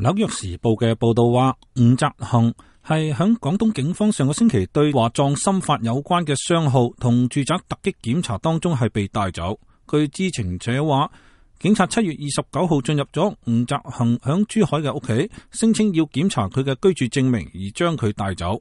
紐約時報嘅報道話，吳澤恒係響廣東警方上個星期對華壯心法有關嘅商號同住宅突擊檢查當中係被帶走。據知情者話，警察7月29號進入咗吳澤恒響珠海嘅屋企，聲稱要檢查佢嘅居住證明而將佢帶走。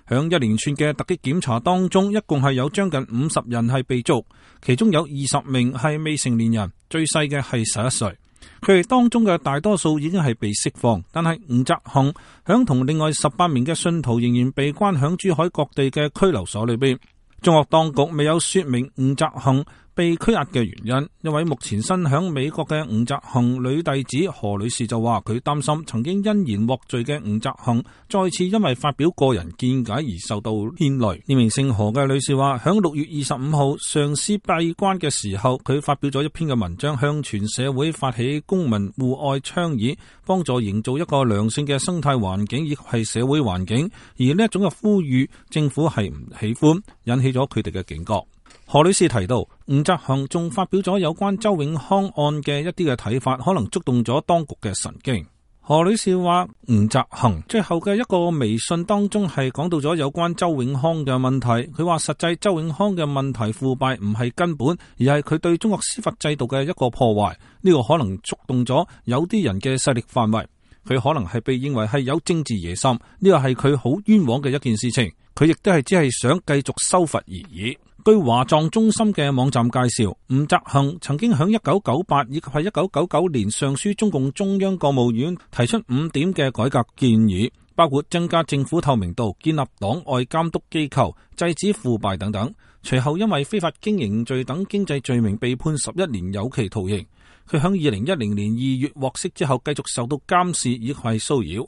響一連串嘅突擊檢查當中，一共係有將近50人係被捉，其中有20名係未成年人，最細嘅係11歲。佢哋當中嘅大多數已經係被釋放，但係吳澤恒響同另外18名嘅信徒仍然被關響珠海各地嘅拘留所裏邊。中國當局未有說明吳澤恒被拘押嘅原因。一位目前身響美國嘅吳澤恒女弟子何女士就話，佢擔心曾經因言獲罪嘅吳澤恒再次因為發表個人見解而受到牽累。呢名姓何嘅女士話，響6月25號上司閉關嘅時候，佢發表咗一篇嘅文章，向全社會發起公民互愛倡議，幫助營造一個良性嘅生態環境以及係社會環境。而呢一種嘅呼籲，政府係唔喜歡，引起咗佢哋嘅警覺。何女士提到，吳澤恒仲發表咗有關周永康案嘅一啲嘅睇法，可能觸動咗當局嘅神經。何女士話，吳澤恒最後嘅一個微信當中係講到咗有關周永康嘅問題。佢話實際周永康嘅問題腐敗唔係根本，而係佢對中國司法制度嘅一個破壞。呢個可能觸動咗有啲人嘅勢力範圍，佢可能係被認為係有政治野心，呢個係佢好冤枉嘅一件事情。佢亦都係只係想繼續修法而已。據華壯中心嘅網站介紹，吳澤恒曾經響1998以及係1999年上書中共中央國務院，提出5點嘅改革建議，包括增加政府透明度、建立黨外監督機構、制止腐敗等等。隨後因為非法經營罪等經濟罪名被判11年有期徒刑。佢響2010年2月獲釋之後，繼續受到監視以及係騷擾。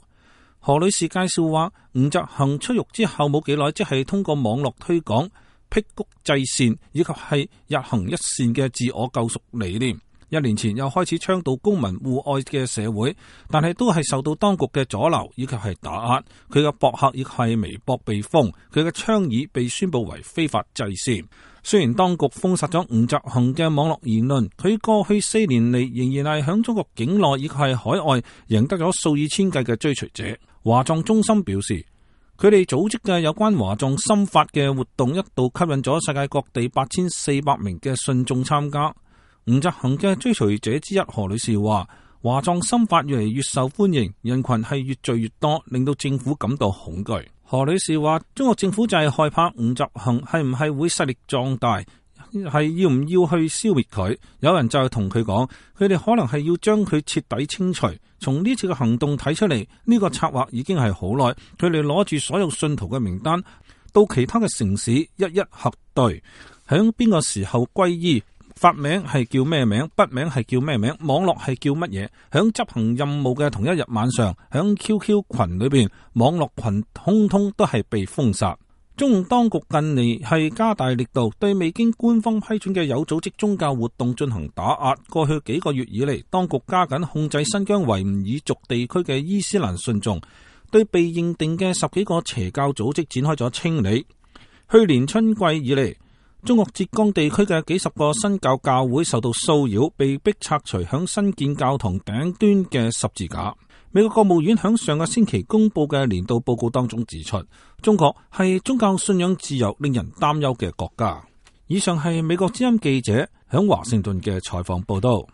何女士介紹話，吳澤恒出獄之後冇幾耐，即係通過網絡推廣辟谷制善以及係日行一善嘅自我救贖理念。1年前又開始倡導公民互愛嘅社會，但係都係受到當局嘅阻撓以及係打壓。佢嘅博客亦係微博被封，佢嘅倡議被宣布為非法制善。雖然當局封殺咗吳澤恒嘅網絡言論，佢過去4年嚟仍然係響中國境內以及係海外贏得咗數以千計嘅追隨者。華壯中心表示，佢哋組織嘅有關華壯心法嘅活動一度吸引咗世界各地8400名嘅信眾參加。吳澤恒嘅追隨者之一何女士話，華壯心法越嚟越受歡迎，人群係越聚越多，令到政府感到恐懼。何女士話，中國政府就係害怕吳澤恒係唔係會勢力壯大，係要唔要去消滅佢。有人就係同佢講，佢哋可能係要將佢徹底清除。從呢次嘅行動睇出嚟，呢個策劃已經係好耐。佢哋攞住所有信徒嘅名單，到其他嘅城市一一核對，響邊個時候皈依，法名係叫咩名，筆名係叫咩名，網絡係叫乜嘢。響執行任務嘅同一日晚上，響 QQ 群裏邊，網絡群通通都係被封殺。中共當局近嚟係加大力度對未經官方批准嘅有組織宗教活動進行打壓。過去幾個月以嚟，當局加緊控制新疆維吾爾族地區嘅伊斯蘭信眾，對被認定嘅10幾個邪教組織展開咗清理。去年春季以嚟，中國浙江地區嘅幾十個新教教會受到騷擾，被迫拆除響新建教堂頂端嘅十字架。美國國務院響上個星期公布嘅年度報告當中指出，中國係宗教信仰自由令人擔憂嘅國家。以上係美國之音記者響華盛頓嘅採訪報道。